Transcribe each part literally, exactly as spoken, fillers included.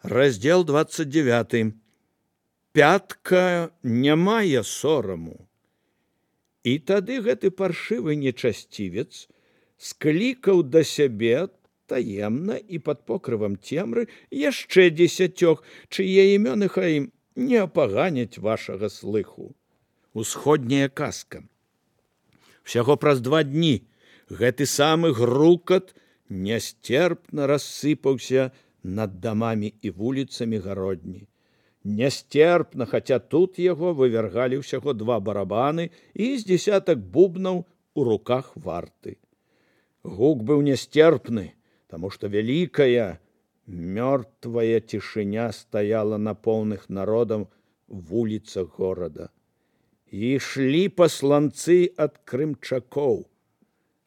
Раздзел двадцать девяты. Пятка не мае сораму. І тады гэты паршывы нечасцівец склікаў да сябе таемна і пад покрывам цемры яшчэ дзесяцёк, чые імёны хай не апаганяць вашага слыху. Усходняя казка. Всяго праз два дні гэты самы грукат нясцерпна рассыпаўся над дамамі і вуліцамі гародні. Нясцерпна, хаця тут яго вывяргалі ўсяго два барабаны і з дзесятак бубнаў у руках варты. Гук быў нясцерпны, таму што вялікая, мёртвая цішыня стаяла на поўных народам вуліцах горада. І ішлі пасланцы ад крымчакоў.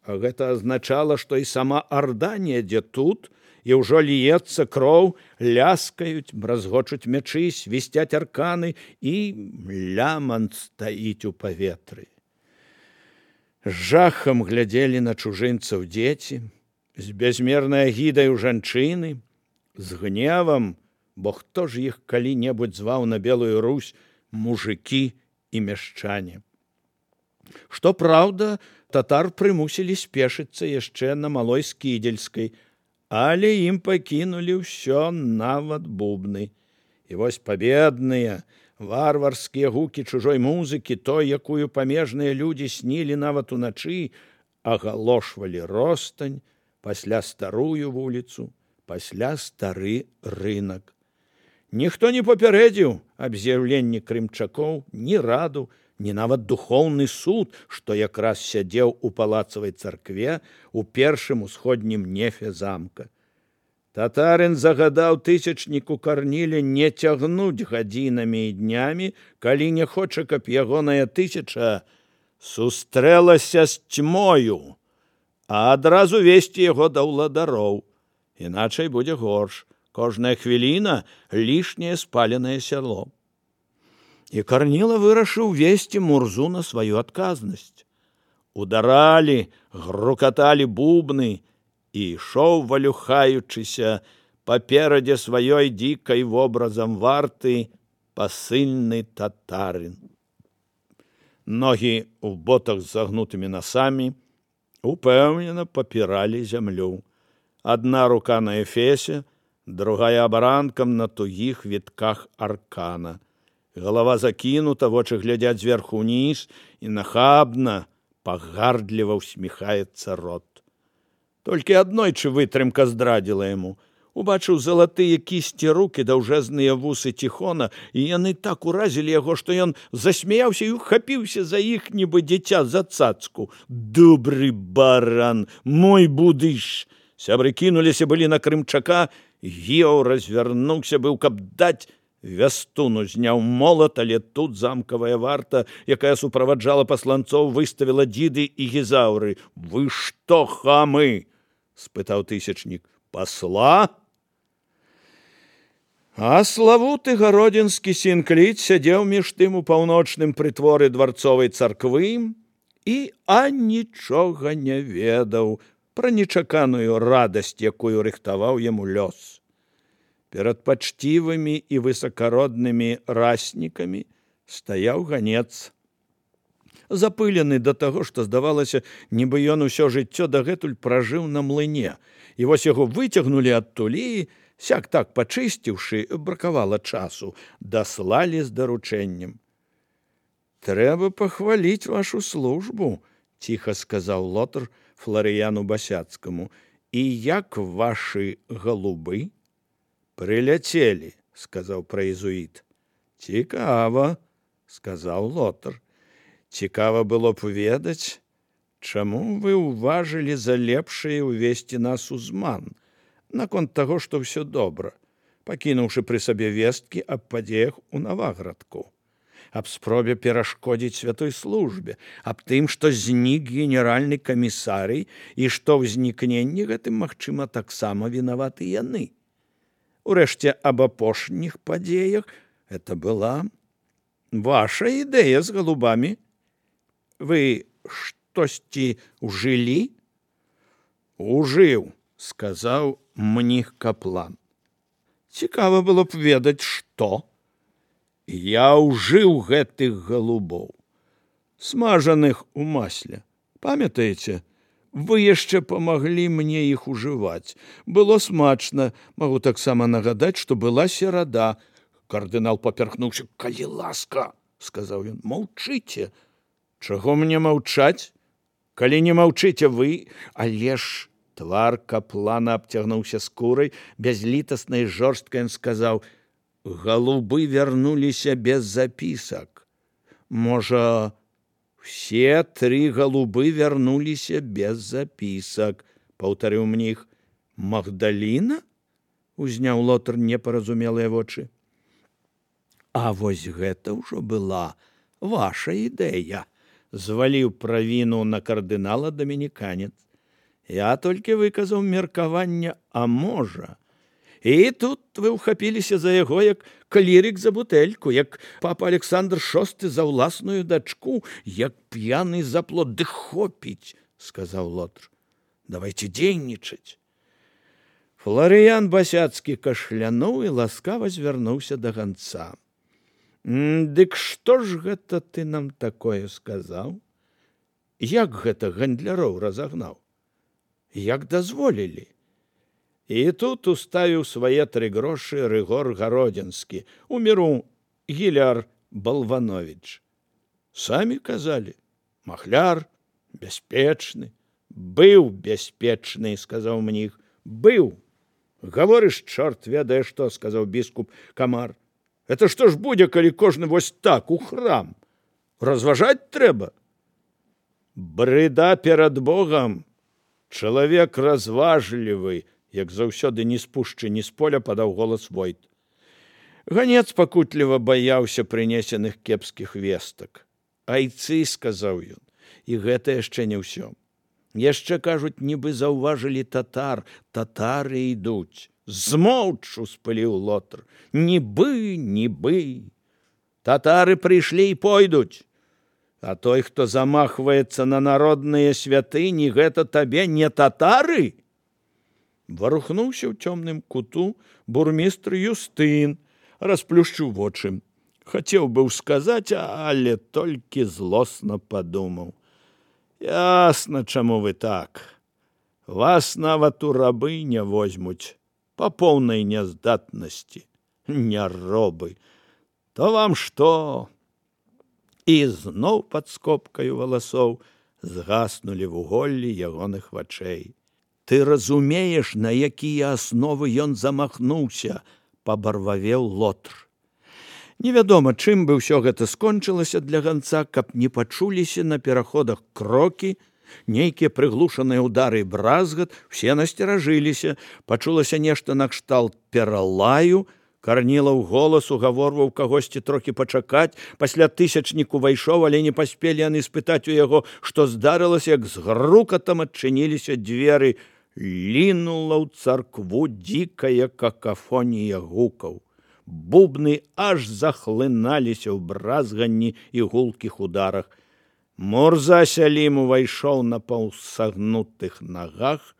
А гэта азначала, што і сама арда недзе тут, і ўжо ліецца кроў, ляскаюць, бразгочуць мячы, свісцяць арканы, і лямант стаіць у паветры. З жахам глядзелі на чужынцаў дзеці, з бязмернай агідай у жанчыны, з гневам, бо хто ж іх калі-небудзь зваў на Белую Русь мужыкі і мяшчане. Што праўда, татар прымусілі спешыцца яшчэ на Малой Скідзельскай, але ім пакінулі ўсё, нават бубны. І вось пабедныя, варварскія гукі чужой музыкі, той, якую памежныя людзі снілі нават уначы, агалошвалі ростань, пасля старую вуліцу, пасля стары рынак. Ніхто не папярэдзіў аб з'яўленні крымчакоў ні раду, ні нават духоўны суд, што якраз сядзеў у палацавай царкве у першым усходнім нефе замка. Татарын загадаў тысячніку Карніле не цягнуць гадзінамі і днямі, калі не хоча, каб ягоная тысяча сустрэлася з цьмою, а адразу весці яго да ўладароў, іначай будзе горш. Кожная хвіліна лішняе спаленае сяло. І Карніла вырашыў весці Мурзу на сваю адказнасць. Ударалі, грукаталі бубны, і ішоў, валюхаючыся, паперадзе сваёй дзікай вобразам варты пасыльны татарын. Ногі ў ботах з загнутымі насамі упэўнена папіралі зямлю. Адна рука на эфесе, другая абаранкам на тугіх вітках аркана. Галава закінута, вочы глядзяць зверху ўніз, і нахабна, пагардліва ўсміхаецца рот. Толькі аднойчы вытрымка здрадзіла яму. Убачыў залатыя кісці рук і даўжэзныя вусы Тихона, і яны так уразілі яго, што ён засмяяўся і ухапіўся за іх, нібы дзіця за цацку. «Добры баран, мой будыш!» Сябры кінуліся былі на крымчака, Гіоў развярнуўся быў, каб даць вястуну, зняў молат, але тут замкавая варта, якая суправаджала пасланцоў, выставіла дзіды і гізаўры. «Вы што, хамы?» – спытаў тысячнік. «Пасла?» А славуты гародзінскі сінкліт сядзеў між тым у паўночным прытворы дварцовай царквы і а нічога не ведаў пра нечаканую радасць, якую рыхтаваў яму лёс. Перад пачцівымі і высакароднымі раснікамі стаяў ганец. Запылены да таго, што здавалася, нібы ён усё жыццё дагэтуль пражыў на млыне. І вось яго выцягнулі адтуль і, сяк так пачысціўшы, бракавала часу, даслалі з даручэннем. «Трэба пахваліць вашу службу», – ціха сказаў лотар Фларыяну Басяцкаму. «І як вашы галубы?» «Прыляцелі», – сказаў праезуіт. «Цікава», – сказаў лотар. «Цікава было б ведаць, чаму вы ўважылі за лепшае ўвесці нас у зман, наконт таго, што ўсё добра, пакінуўшы пры сабе весткі аб падзеях у Наваградку, аб спробе перашкодзіць святой службе, аб тым, што знік генеральны камісарый і што ўзнікненні гэтым, магчыма, таксама вінаваты яны. Урэшце, аб апошніх падзеях это была ваша ідэя з галубамі. Вы штосьці ўжылі?» «Ужыў», – сказаў мніх каплан. Цікава было б ведаць, што. Я ўжыў гэтых галубоў, смажаных у масле. Памятаеце, вы яшчэ памаглі мне іх ужываць. Было смачна, магу таксама нагадаць, што была серада. Кардынал папярхнуўся. Калі ласка, сказаў ён, маўчыце. Чаго мне маўчаць? Калі не маўчыце вы, але ж твар каплана абцягнуўся скурай, бязлітасна і жорстка ён сказаў: галубы вярнуліся без запісак. Можа, все тры галубы вярнуліся без запісак, паўтарыў мніх. Магдаліна? Узняў Лотар непаразумелыя вочы. А вось гэта ўжо была ваша ідэя, зваліў правіну на кардынала дамініканец. Я толькі выказаў меркаванне, а можа. І тут вы ўхапіліся за яго, як клірік за бутэльку, як папа Александр шосты за ўласную дачку, як п'яны за плод. Ды хопіць, сказаў Лотар. Давайте дзейнічаць. Фларыян Басяцкі кашлянуў і ласкава звярнуўся да ганца. Дык што ж гэта ты нам такое сказаў? Як гэта гандляроў разагнаў? Як дазволілі? І тут уставіў свае тры грошы Рыгор Гародзінскі, у міру Гіляр Балванович. Самі казалі, махляр, бяспечны. Быў бяспечны, сказаў мніх. Быў. Гаворыш, чорт ведае што, сказаў біскуп Камар. Это што ж будзе, калі кожны вось так у храм? Разважаць трэба. Брыда перад Богам. Чалавек разважлівы, як заўсёды не спушчы ні з поля, падаў голас Войт. Ганец пакутліва баяўся прынесеных кепскіх вестак. Айцы, сказаў ён, і гэта яшчэ не ўсё. Яшчэ, кажуць, нібы заўважылі татар. Татары ідуць. Змоўч, успыліў Лотар. Нібы, нібы. Татары прыйшлі і пойдуць. А той, хто замахваецца на народныя святыні, гэта табе не татары? Варухнуўся ў цёмным куту бурмістр Юстын, расплюшчыў вочы. Хацеў быў сказаць, але толькі злосна падумаў. Ясна, чаму вы так. Вас нават у рабы не возьмуць па поўнай няздатнасці. Няробы. То вам што? І зноў пад скобкаю валасоў згаснулі вуголлі ягоных вачэй. Ты разумееш, на якія асновы ён замахнуўся, пабарвавеў Лотар. Невядома, чым бы ўсё гэта скончылася для ганца, каб не пачуліся на пераходах крокі, нейкія прыглушаныя ўдары і бразгат, все насцеражыліся, пачулася нешта накшталт пералаю, Карнілаў голас угаворваў кагосьці трохі пачакаць, пасля тысячнік увайшоў, але не паспелі яны спытаць у яго, што здарылася, як з грукатам адчыніліся дзверы. Лінула ў царкву дзікая какафонія гукаў. Бубны аж захлыналіся ў бразганні і гулкіх ударах. Мурза Сялім увайшоў на паўсагнутых нагах,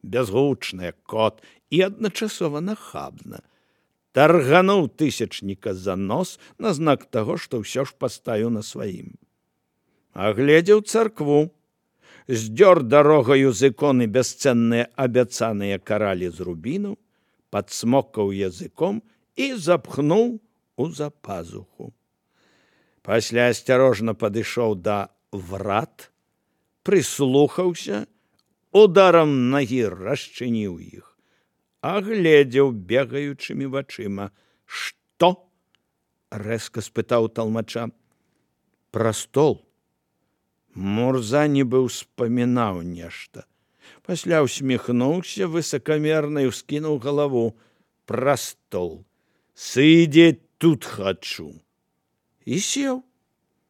бязгучны як кот і адначасова нахабна. Таргануў тысячніка за нос на знак таго, што ўсё ж паставіў на сваім. Агледзеў царкву, здзёр дарогаю з іконы бясцэнныя абяцаныя каралі з рубіну, падсмокаў языком і запхнуў у запазуху. Пасля асцярожна падышоў да врат, прыслухаўся, ударам нагі расчыніў іх. Агледзеў бегаючымі вачыма. Што? Рэзка спытаў талмача. Пра стол. Мурза нібы ўспамінаў нешта. Пасля ўсміхнуўся высакамерна і ўскінуў галаву. Пра стол. Сидеть тут хачу. І сеў.